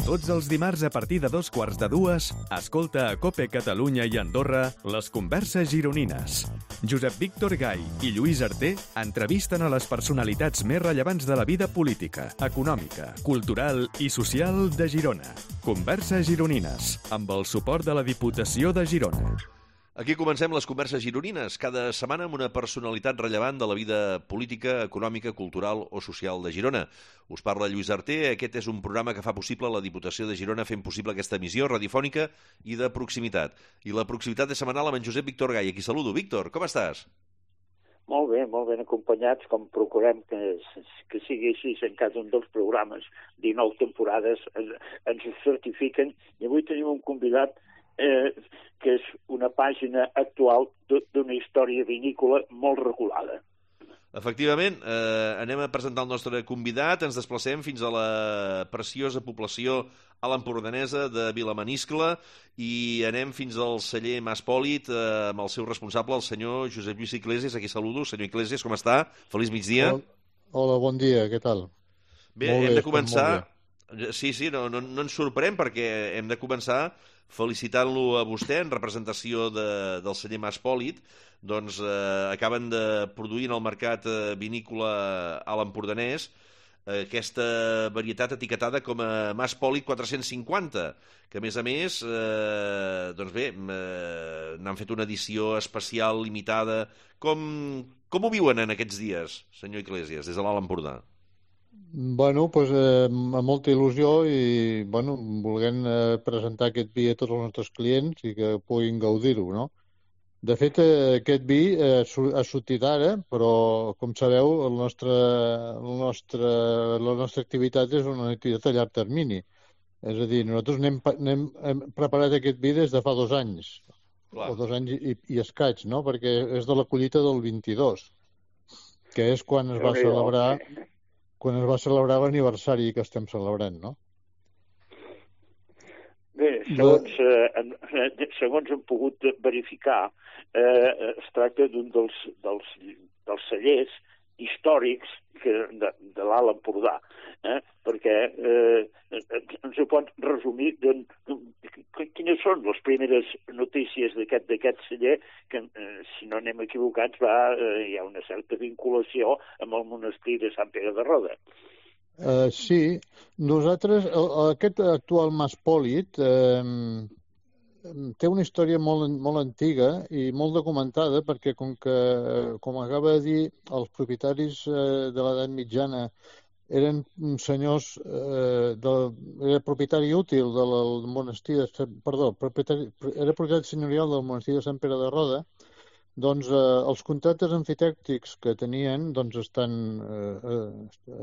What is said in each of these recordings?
Tots els dimarts a partir de 2:15, escolta a COPE Catalunya i Andorra les converses gironines. Josep Víctor Gai i Lluís Arter entrevisten a les personalitats més rellevants de la vida política, econòmica, cultural i social de Girona. Converses gironines, amb el suport de la Diputació de Girona. Aquí comencem les converses gironines, cada setmana amb una personalitat rellevant de la vida política, econòmica, cultural o social de Girona. Us parla Lluís Arter, aquest és un programa que fa possible la Diputació de Girona fent possible aquesta emissió radiofònica i de proximitat. I la proximitat és setmanal amb en Josep Víctor Gai. Aquí saludo. Víctor, com estàs? Molt ben acompanyats, com procurem que sigui així en cada un dels programes. 19 temporades ens ho certifiquen i avui tenim un convidat que és una pàgina actual d'una història vinícola molt regulada. Efectivament, anem a presentar el nostre convidat, ens desplacem fins a la preciosa població a l'empordanesa de Vilamaniscle i anem fins al celler Mas Pòlit amb el seu responsable, el senyor Josep Lluís Iglesias. Aquí saludo. Senyor Iglesias, com està? Feliç migdia. Hola, bon dia, què tal? Bé, hem de començar... Sí, no ens sorprèn perquè hem de començar felicitant-lo a vostè en representació del celler Mas Pòlit. Doncs acaben de produir en el mercat vinícola a l'Empordanès aquesta varietat etiquetada com a Mas Pòlit 450, que a més, doncs bé, n'han fet una edició especial, limitada. Com ho viuen en aquests dies, senyor Iglesias, des de l'Alt Empordà? Bueno, doncs amb molta il·lusió i volent presentar aquest vi a tots els nostres clients i que puguin gaudir-ho, no? De fet, aquest vi ha sortit ara, però, com sabeu, la nostra activitat és una activitat a llarg termini. És a dir, nosaltres hem preparat aquest vi des de fa 2 anys, o 2 anys i escaig, no? Perquè és de la collita del 22, que és quan es va celebrar l'aniversari que estem celebrant, no? Bé, segons hem pogut verificar, es tracta d'un dels cellers històrics de l'Alt Empordà, perquè ens ho pot resumir quines són les primeres notícies d'aquest celler, que, si no anem equivocats, hi ha una certa vinculació amb el monestir de Sant Pere de Roda. Sí, nosaltres, aquest actual Mas Pòlit té una història molt antiga i molt documentada, perquè com acaba de dir, els propietaris de l'edat mitjana eren senyors, era propietari útil del monestir, era propietari senyorial del monestir de Sant Pere de Roda. Doncs els contractes amfitèctics que tenien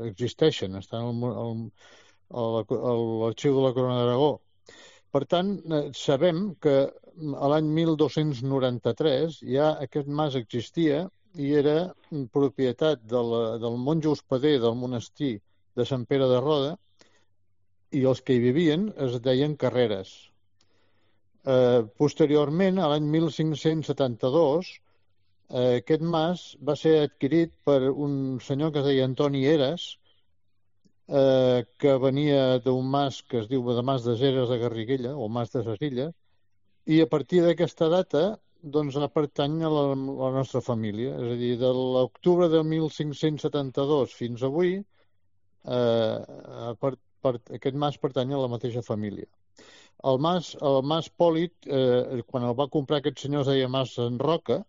existeixen, estan a l'arxiu de la Corona d'Aragó. Per tant, sabem que a l'any 1293 ja aquest mas existia i era propietat del monjo hospeder del monestir de Sant Pere de Roda, i els que hi vivien es deien Carreres. Posteriorment, a l'any 1572, aquest mas va ser adquirit per un senyor que es deia Antoni Eres, que venia d'un mas que es diu de Mas de Eres de Garriguella, o Mas de Ses Illes, i a partir d'aquesta data doncs pertany a la nostra família. És a dir, de l'octubre de 1572 fins avui, aquest mas pertany a la mateixa família. El mas Pòlit, quan el va comprar aquest senyor, es deia Mas en Roca,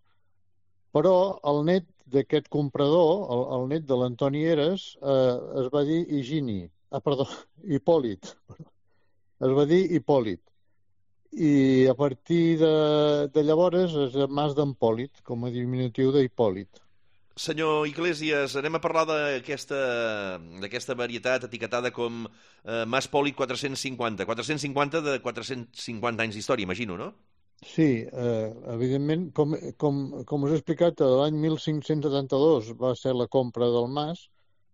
però el net d'aquest comprador, el net de l'Antoni Eres, es va dir Hipòlit. Es va dir Hipòlit. I a partir de llavors és el Mas d'en Pòlit, com a diminutiu d'Hipòlit. Senyor Iglesias, anem a parlar d'aquesta varietat etiquetada com Mas Pòlit 450. 450 de 450 anys d'història, imagino, no? Sí, evidentment, com us he explicat, l'any 1572 va ser la compra del mas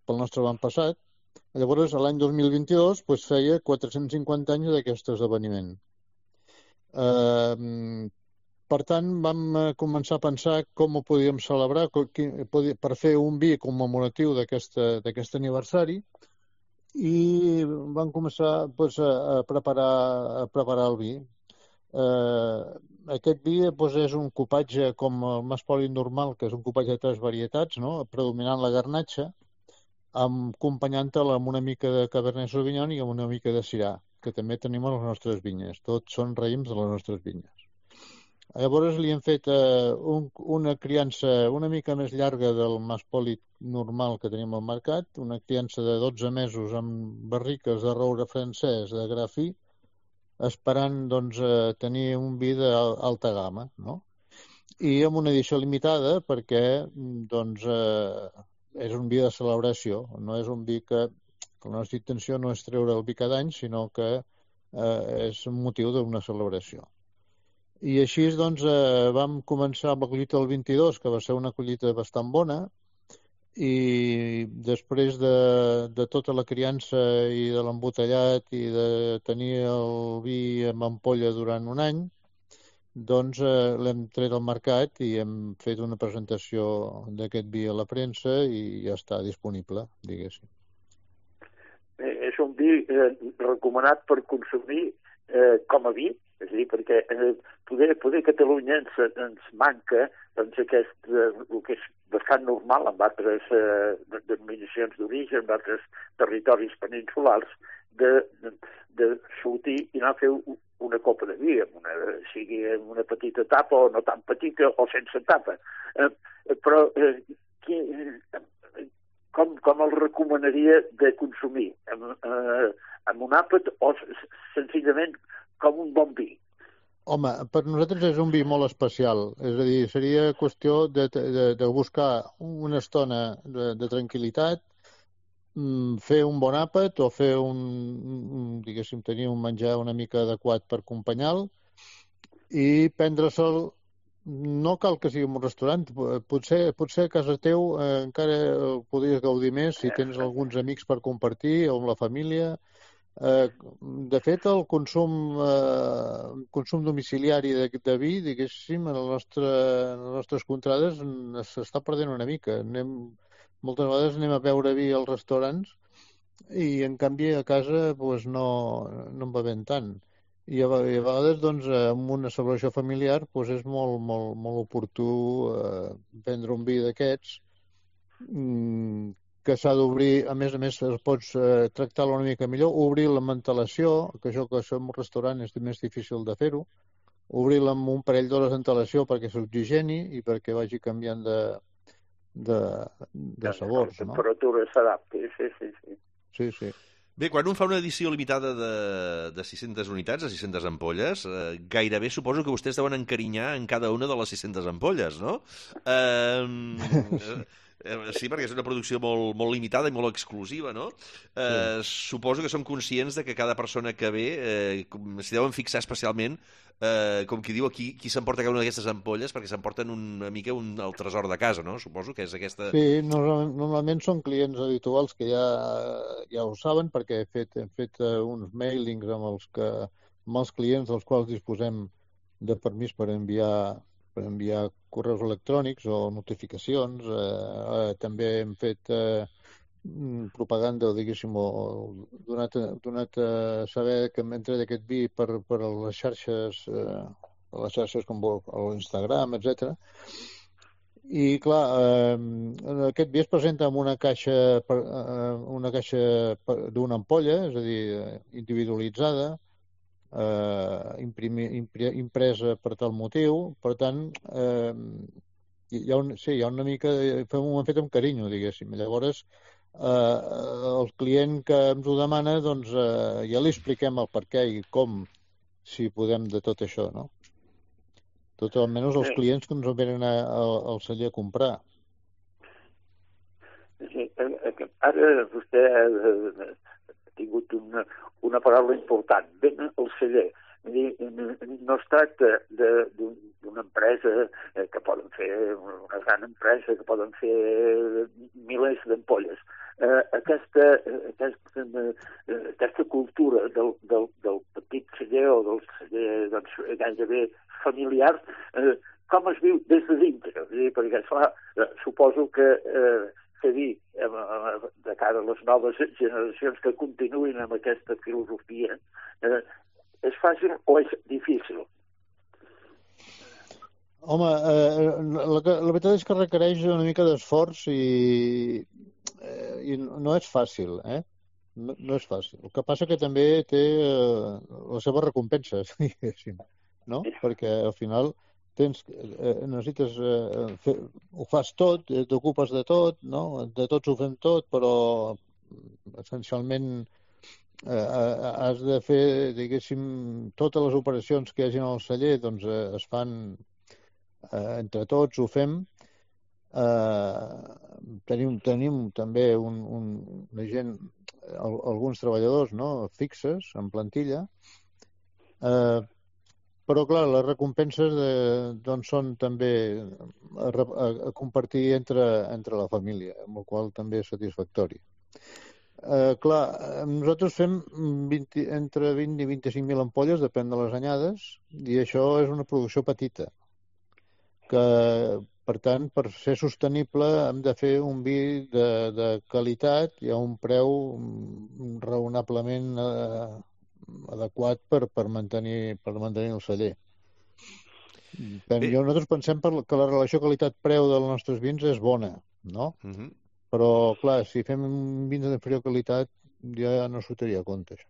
pel nostre avantpassat. Llavors, l'any 2022 feia 450 anys d'aquest esdeveniment. Per tant, vam començar a pensar com ho podíem celebrar per fer un vi commemoratiu d'aquest aniversari, i vam començar doncs, a preparar el vi. Aquest vi doncs, és un cupatge com el Maspoli normal, que és un cupatge de 3 varietats, no? Predominant la garnatxa, acompanyant-la amb una mica de Cabernet Sauvignon i amb una mica de Syrah, que també tenim a les nostres vinyes. Tots són raïms de les nostres vinyes. Llavors li hem fet una criança una mica més llarga del Maspoli normal que tenim al mercat, una criança de 12 mesos amb barriques de roure francès de gra fi, esperant doncs, tenir un vi d'alta gamma, no? I amb una edició limitada perquè doncs, és un vi de celebració, no és un vi que la nostra intenció no és treure el vi cada any, sinó que és un motiu d'una celebració. I així doncs, vam començar amb la collita del 22, que va ser una collita bastant bona, i després de tota la criança i de l'embotellat i de tenir el vi en ampolla durant un any, doncs l'hem tret al mercat i hem fet una presentació d'aquest vi a la premsa i ja està disponible, diguéssim. És un vi recomanat per consumir com a vi, és a dir, perquè poder a Catalunya ens manca doncs, el que és bastant normal en altres denominacions d'origen, en altres territoris peninsulars, de sortir i anar a fer una copa de vi, sigui amb una petita tapa o no tan petita o sense tapa. Però com el recomanaria de consumir? Amb un àpat o senzillament com un bon vi? Home, per nosaltres és un vi molt especial. És a dir, seria qüestió de buscar una estona de tranquil·litat, fer un bon àpat o fer diguéssim, tenir un menjar una mica adequat per acompanyar-lo i prendre-se'l. No cal que sigui en un restaurant, potser a casa teu encara el podries gaudir més si tens alguns amics per compartir o amb la família. De fet, el consum domiciliari de vi, diguéssim, en les nostres contrades s'està perdent una mica. Moltes vegades anem a beure vi als restaurants i, en canvi, a casa doncs, no en bevem tant. I a vegades, doncs, amb una celebració familiar, doncs és molt, molt, molt oportú prendre un vi d'aquests que s'ha d'obrir, a més, pots tractar-lo una mica millor, obrir la mantelació, que això que som un restaurant és més difícil de fer-ho, obrir-la amb un parell d'hores d'antelació perquè s'oxigeni i perquè vagi canviant de sabors, no? La temperatura s'adapti, sí. Sí. Bé, quan un fa una edició limitada de 600 unitats, de 600 ampolles, gairebé suposo que vostès deuen encarinyar en cada una de les 600 ampolles, no? Sí, perquè és una producció molt, molt limitada i molt exclusiva, no? Sí. Suposo que són conscients de que cada persona que ve s'hi deuen fixar especialment, com qui diu, qui s'emporta cada una d'aquestes ampolles, perquè s'emporten una mica el tresor de casa, no? Suposo que és aquesta... Sí, normalment són clients habituals que ja ho saben, perquè hem fet uns mailings amb els clients dels quals disposem de permís per enviar correus electrònics o notificacions. També hem fet propaganda, diguéssim, o donat a saber que hem entrat aquest vi per les xarxes com l'Instagram, etc. I, clar, aquest vi es presenta amb una caixa d'una ampolla, és a dir, individualitzada, impresa per tal motiu. Per tant, hi ha una mica... Ho hem fet amb carinyo, diguéssim. Llavors, el client que ens ho demana, doncs ja li expliquem el per què i com, si podem, de tot això, no? Tot almenys els clients que ens venen al celler a comprar. Ara vostè ha tingut una paraula important. Ben el celler. No es tracta d'una empresa que poden fer, una gran empresa que poden fer milers d'ampolles. Aquesta cultura del petit celler o del celler gairebé familiar, com es viu des de dintre? Perquè, clar, suposo que fer vi de cara a les noves generacions que continuïn amb aquesta filosofia, és fàcil o és difícil? Home, la veritat és que requereix una mica d'esforç i no és fàcil, No és fàcil. El que passa que també té les seves recompenses, diguéssim, no? Perquè al final necessites ho fas tot, t'ocupes de tot, no? De tots ho fem tot, però essencialment has de fer, diguéssim, totes les operacions que hi hagi al celler, doncs es fan entre tots, ho fem. Tenim també una gent, alguns treballadors, no?, fixes, en plantilla, però, clar, les recompenses doncs són també a compartir entre la família, amb la qual també és satisfactori. Clar, nosaltres fem entre 20 i 25.000 ampolles, depèn de les anyades, i això és una producció petita, que, per tant, per ser sostenible hem de fer un vi de qualitat i a un preu raonablement adequat per mantenir el celler. Nosaltres pensem que la relació qualitat-preu dels nostres vins és bona, no? Però, clar, si fem vins d'inferior qualitat ja no sortiria a compte, això.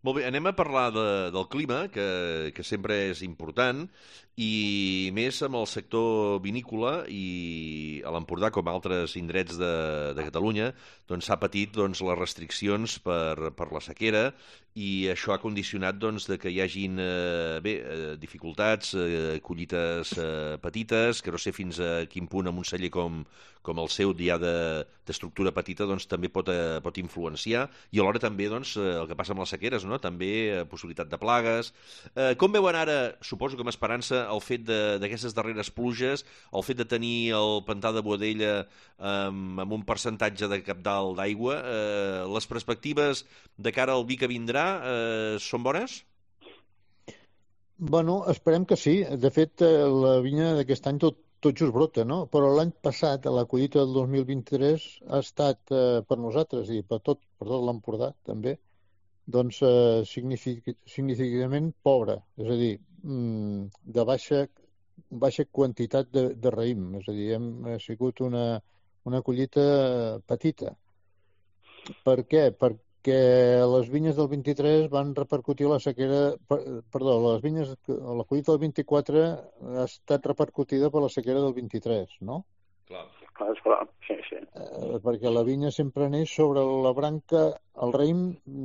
Molt bé, anem a parlar del clima, que sempre és important, i més amb el sector vinícola, i a l'Empordà, com altres indrets de Catalunya, doncs s'ha patit les restriccions per la sequera, i això ha condicionat de que hi hagin dificultats, collites petites, que no sé fins a quin punt amb un celler com el seu ja d'estructura petita també pot influenciar, i alhora també el que passa amb les sequeres, no? També possibilitat de plagues. Com veuen ara, suposo que amb esperança, el fet d'aquestes darreres pluges, el fet de tenir el pantà de Boadella amb un percentatge de cabdal d'aigua, les perspectives de cara al vi que vindrà són bones? Bueno, esperem que sí. De fet, la vinya d'aquest any tot just brota, no? Però l'any passat, a la collita del 2023, ha estat per nosaltres i per tot l'Empordà també, doncs significativament pobra, és a dir, de baixa quantitat de raïm, és a dir, ha sigut una collita petita. Per què? Perquè les vinyes del 23 van repercutir la sequera... Perdó, la collita del 24 ha estat repercutida per la sequera del 23, no? Clar, sí. Perquè la vinya sempre neix sobre la branca, el raïm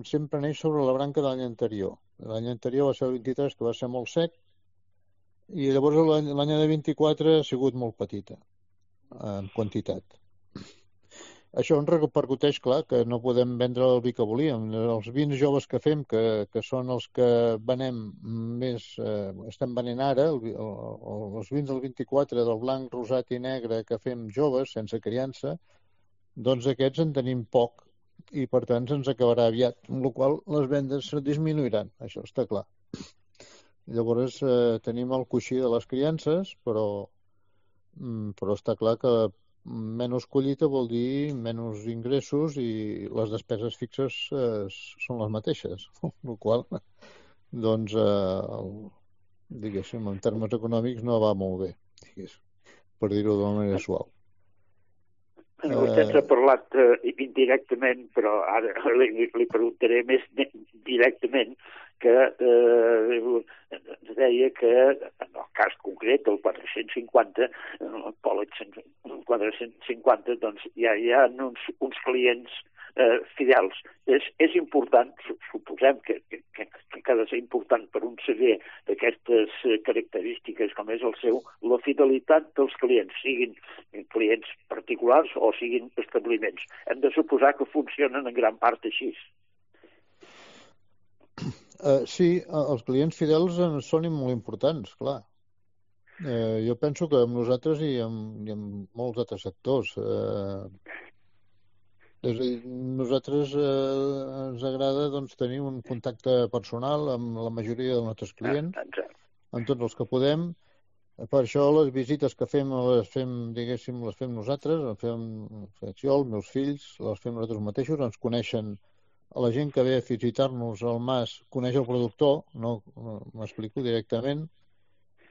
sempre neix sobre la branca de l'any anterior. L'any anterior va ser el 23, que va ser molt sec, i llavors l'any de 24 ha sigut molt petita, en quantitat. Això ens repercuteix, clar, que no podem vendre el vi que volíem. Els vins joves que fem, que són els que venem més, estem venent ara, els vins del 24, del blanc, rosat i negre que fem joves, sense criança, doncs aquests en tenim poc i, per tant, se'ns acabarà aviat, amb la qual cosa les vendes disminuiran, això està clar. Llavors tenim el coixí de les criances, però està clar que menys collita vol dir menys ingressos i les despeses fixes són les mateixes, el qual, doncs, diguéssim, en termes econòmics no va molt bé, per dir-ho d'una manera suau. Vostè ens ha parlat indirectament, però ara li preguntaré més directament, que deia que en el cas concret del 450, el Pòlex 450, doncs hi ha uns clients fidels. És important, suposem que ha de ser important per un celler d'aquestes característiques com és el seu, la fidelitat dels clients, siguin clients particulars o siguin establiments. Hem de suposar que funcionen en gran part així. Sí, els clients fidels són molt importants, clar. Jo penso que amb nosaltres i amb molts altres sectors. És a dir, nosaltres ens agrada tenir un contacte personal amb la majoria dels nostres clients, amb tots els que podem. Per això les visites que fem les fem, diguéssim, les fem nosaltres, les fem jo, els meus fills, les fem nosaltres mateixos, ens coneixen la gent que ve a visitar-nos al mas, coneix el productor, no m'explico directament,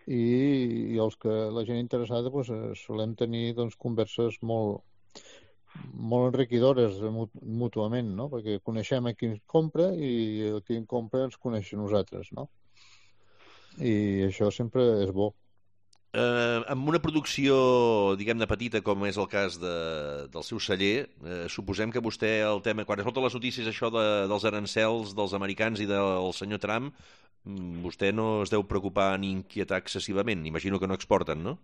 i la gent interessada doncs, solem tenir doncs, converses molt enriquidores mútuament, no? Perquè coneixem a qui ens compra i el qui ens compra ens coneix a nosaltres, no? I això sempre és bo. Amb una producció, diguem-ne, petita, com és el cas del seu celler, suposem que vostè, el tema, quan es nota les notícies això dels arancels dels americans i del senyor Trump, vostè no es deu preocupar ni inquietar excessivament. Imagino que no exporten, no?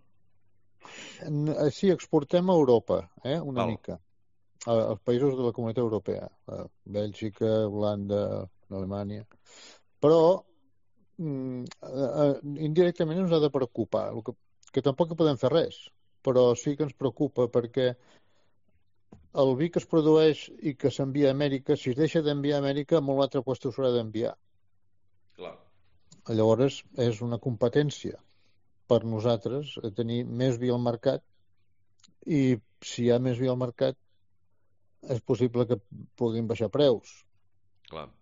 Sí, exportem a Europa, una Val. mica. Als països de la Comunitat Europea. Bèlgica, Holanda, Alemanya. Però indirectament ens ha de preocupar, que tampoc podem fer res, però sí que ens preocupa perquè el vi que es produeix i que s'envia a Amèrica, si es deixa d'enviar a Amèrica, molt altre lloc s'haurà d'enviar. Clar. Llavors és una competència per nosaltres tenir més vi al mercat, i si hi ha més vi al mercat és possible que puguin baixar preus. Clar.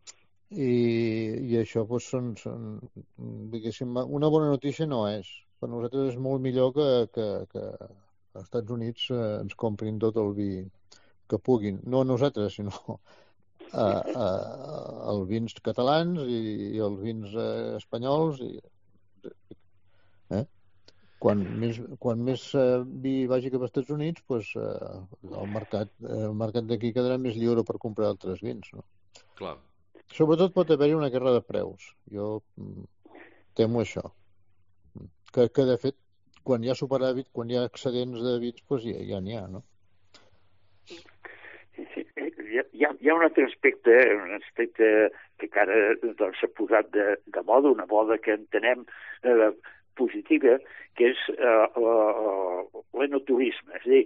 I això doncs, són diguéssim, una bona notícia no és. Per nosaltres és molt millor que als Estats Units ens comprin tot el vi que puguin. No a nosaltres, sinó els vins catalans i els vins espanyols. Quan més vi vagi cap als Estats Units, doncs, el mercat d'aquí quedarà més lliure per comprar altres vins. No? Clar. Sobretot pot haver-hi una guerra de preus. Jo temo això. Que de fet, quan hi ha superàvit, quan hi ha excedents de vins, doncs ja n'hi ha, no? Hi ha un altre aspecte, que encara s'ha posat de moda, una moda que entenem positiva, que és l'enoturisme. És a dir,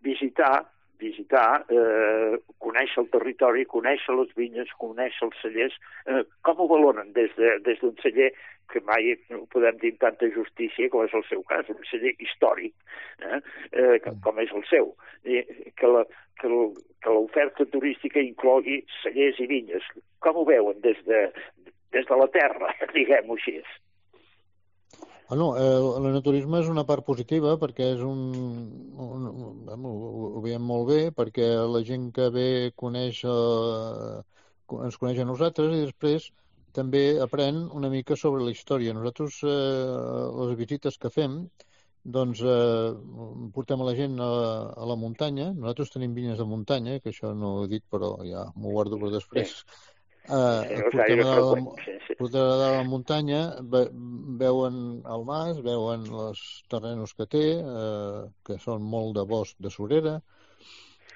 visitar, conèixer el territori, conèixer les vinyes, conèixer els cellers. Com ho valoren des d'un celler que mai no podem dir amb tanta justícia com és el seu cas, un celler històric, com és el seu, que l'oferta turística inclogui cellers i vinyes. Com ho veuen des de la terra, diguem-ho així? L'enoturisme és una part positiva perquè és ho veiem molt bé, perquè la gent que ve ens coneix a nosaltres i després també aprèn una mica sobre la història. Nosaltres, les visites que fem, doncs portem a la gent a la muntanya. Nosaltres tenim vinyes de muntanya, que això no ho he dit, però ja m'ho guardo per després. Portem a la muntanya, veuen el mas, veuen els terrenos que té, que són molt de bosc de surera,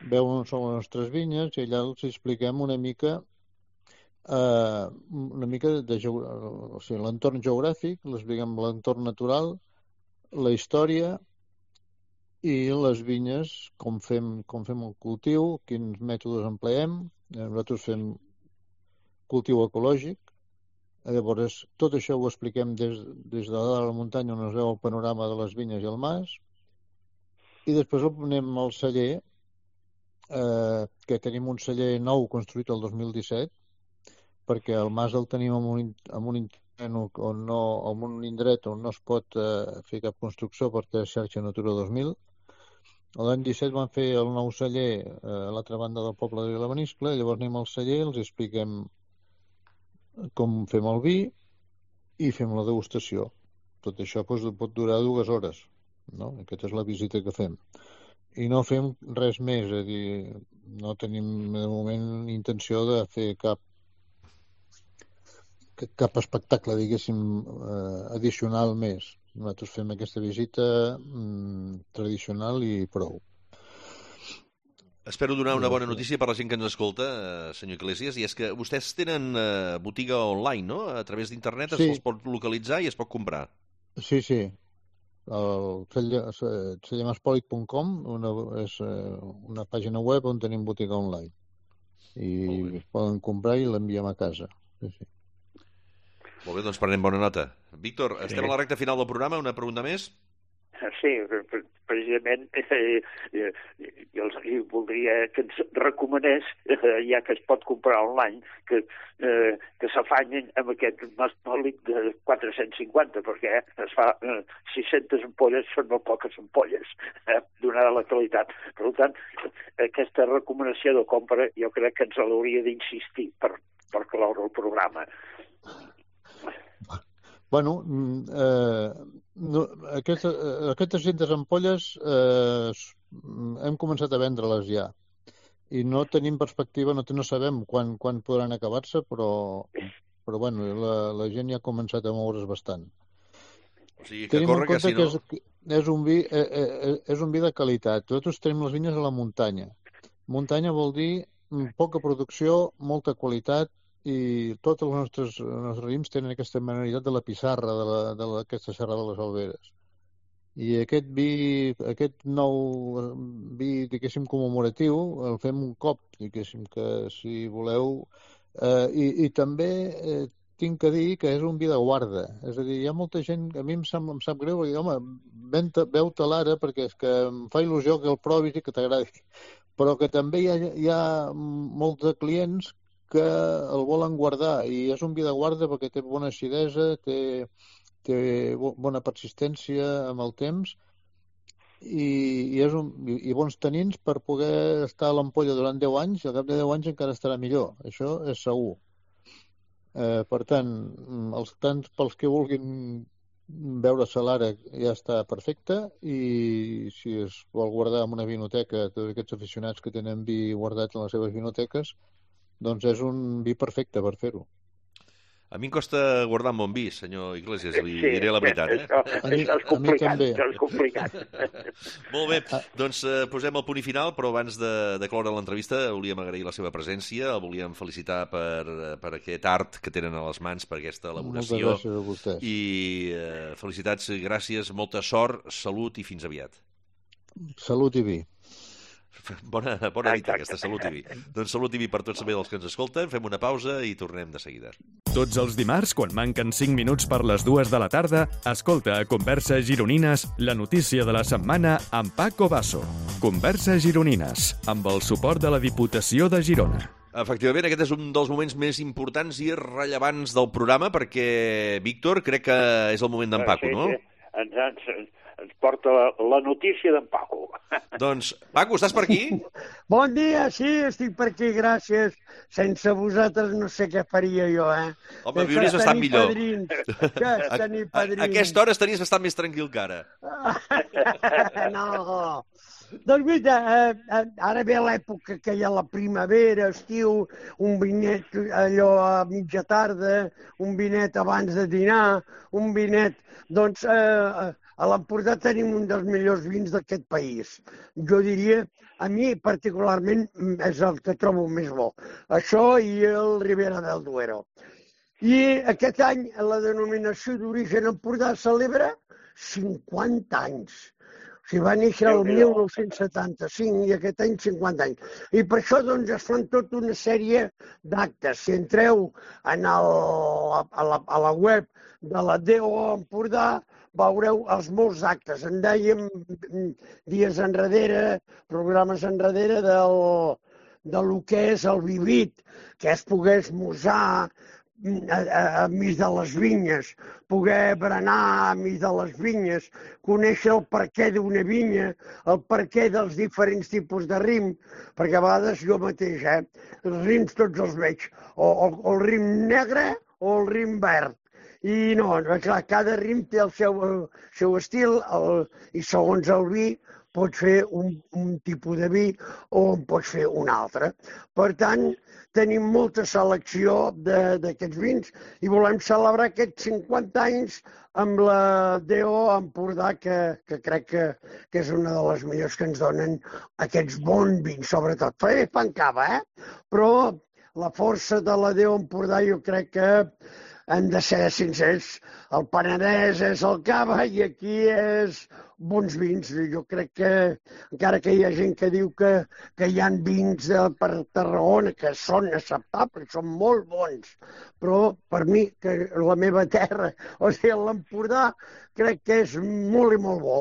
veuen on són les nostres vinyes i allà els expliquem una mica de l'entorn geogràfic, els expliquem l'entorn natural, la història i les vinyes, com fem el cultiu, quins mètodes empleem. Nosaltres fem cultiu ecològic. Llavors, tot això ho expliquem des de dalt de la muntanya on es veu el panorama de les vinyes i el mas, i després anem al celler, que tenim un celler nou construït el 2017, perquè el mas el tenim en un indret on no es pot fer cap construcció perquè és xarxa Natura 2000. L'any 17 van fer el nou celler a l'altra banda del poble de Vilabeniscle, llavors anem al celler, els expliquem com fem el vi i fem la degustació. Tot això pot durar 2 hores, no? Aquesta és la visita que fem. I no fem res més, és a dir, no tenim de moment intenció de fer cap espectacle, diguéssim, addicional més. Nosaltres fem aquesta visita tradicional i prou. Espero donar una bona notícia per la gent que ens escolta, senyor Iglesias, i és que vostès tenen botiga online, no? A través d'internet se'ls pot localitzar i es pot comprar. Sí. El cellemaspolic.com és una pàgina web on tenim botiga online. I es poden comprar i l'enviem a casa. Sí. Molt bé, doncs prenem bona nota. Víctor, estem a la recta final del programa, una pregunta més? Sí, precisament jo voldria que ens recomanés, ja que es pot comprar online, que s'afanyin amb aquest mastòlic de 450, perquè es fa 600 ampolles, són molt poques ampolles, donada la qualitat. Per tant, aquesta recomanació de compra jo crec que ens l'hauria d'insistir per cloure el programa. Bueno, aquestes 600 ampolles hem començat a vendre-les ja i no tenim perspectiva, no sabem quan podran acabar-se, però bueno, la gent ja ha començat a moure's bastant. O sigui, que corre, que si no... Que és un vi de qualitat. Nosaltres tenim les vinyes a la muntanya. Muntanya vol dir poca producció, molta qualitat, i tots els nostres raïms tenen aquesta manualitat de la pissarra, d'aquesta serra de les Alberes. I aquest nou vi, diguéssim, commemoratiu, el fem un cop, diguéssim, que si voleu... I també tinc que dir que és un vi de guarda. És a dir, hi ha molta gent, a mi em sap greu, perquè, home, veu-te l'ara, perquè és que em fa il·lusió que el provis i que t'agradi. Però que també hi ha molts de clients que el volen guardar, i és un vi de guarda perquè té bona acidesa, té bona persistència amb el temps i bons tanins per poder estar a l'ampolla durant 10 anys, i al cap de 10 anys encara estarà millor. Això és segur. Per tant, tants pels que vulguin veure-se l'ara ja està perfecte, i si es vol guardar en una vinoteca, tots aquests aficionats que tenen vi guardat en les seves vinoteques, doncs és un vi perfecte per fer-ho. A mi em costa guardar un bon vi, senyor Iglesias, li diré la veritat. Això és complicat, això és complicat. Molt bé, doncs posem el punt i final, però abans de cloure l'entrevista volíem agrair la seva presència, el volíem felicitar per aquest art que tenen a les mans, per aquesta elaboració. Moltes gràcies a vostès. I felicitats, gràcies, molta sort, salut i fins aviat. Salut i vi. Bona dita, aquesta Salut i vi. Doncs Salut i vi per tots també dels que ens escolten. Fem una pausa i tornem de seguida. Tots els dimarts, quan manquen 5 minuts per les 2 de la tarda, escolta a Converses Gironines la notícia de la setmana amb Paco Basso. Converses Gironines, amb el suport de la Diputació de Girona. Efectivament, aquest és un dels moments més importants i rellevants del programa perquè, Víctor, crec que és el moment d'en Paco, no? Sí. Ens porta la notícia d'en Paco. Doncs, Paco, estàs per aquí? Bon dia, sí, estic per aquí, gràcies. Sense vosaltres no sé què faria jo, Home, viuries bastant millor. Tenir padrins. A aquesta hora estaries bastant més tranquil que ara. No. Doncs mira, ara ve l'època que hi ha la primavera, estiu, un vinet allò a mitja tarda, un vinet abans de dinar, un vinet... Doncs a l'Empordà tenim un dels millors vins d'aquest país. Jo diria, a mi particularment és el que trobo més bo. Això i el Ribera del Duero. I aquest any la denominació d'origen Empordà celebra 50 anys. O sigui, va néixer el 1975 i aquest any 50 anys. I per això doncs, es fan tota una sèrie d'actes. Si entreu a la web de la DO Empordà, veureu els molts actes. En dèiem dies enrere, programes enrere del que és el vivit, que es pogués esmorzar enmig de les vinyes, poder berenar enmig de les vinyes, conèixer el perquè d'una vinya, el perquè dels diferents tipus de rim, perquè a vegades jo mateix, els rims tots els veig, o el rim negre o el rim verd. I no, clar, cada rim té el seu estil i segons el vi pots fer un tipus de vi o en pots fer un altre. Per tant, tenim molta selecció d'aquests vins i volem celebrar aquests 50 anys amb la DO Empordà, que crec que és una de les millors que ens donen aquests bons vins, sobretot. Fan cava, però la força de la DO Empordà jo crec que hem de ser sincers. El Penedès és el cava i aquí és bons vins. Jo crec que, encara que hi ha gent que diu que hi ha vins per Tarragona que són acceptables, són molt bons, però per mi, que la meva terra, o sigui, l'Empordà, crec que és molt i molt bo.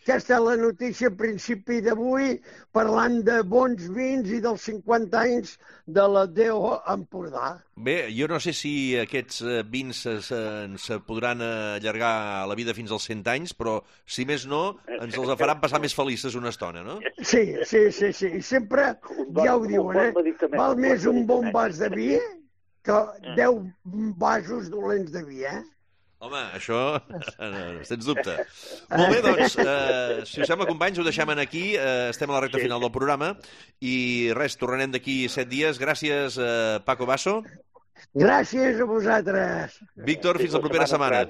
Aquesta és la notícia a principi d'avui, parlant de bons vins i dels 50 anys de la DO Empordà. Bé, jo no sé si aquests vins se podran allargar la vida fins als 100 anys, però, si més no, ens els faran passar més felices una estona, no? Sí. I sempre, ja ho diuen, val més un bon vas de vi que 10 vasos dolents de vi, Home, això, sens dubte. Molt bé, doncs, si us sembla, companys, ho deixem aquí. Estem a la recta final del programa. I res, tornarem d'aquí 7 dies. Gràcies, Paco Basso. Gràcies a vosaltres. Víctor, fins la propera setmana.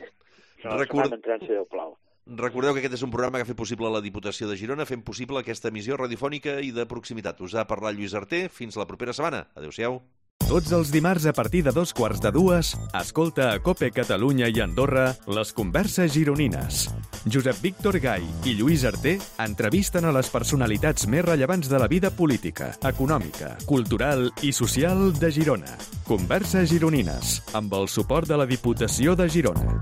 Recordeu que aquest és un programa que ha fet possible la Diputació de Girona, fent possible aquesta emissió radiofònica i de proximitat. Us ha parlat Lluís Arter. Fins la propera setmana. Adéu-siau. Tots els dimarts a partir de 2:15, escolta a COPE Catalunya i Andorra les converses gironines. Josep Víctor Gai i Lluís Arter entrevisten a les personalitats més rellevants de la vida política, econòmica, cultural i social de Girona. Converses gironines, amb el suport de la Diputació de Girona.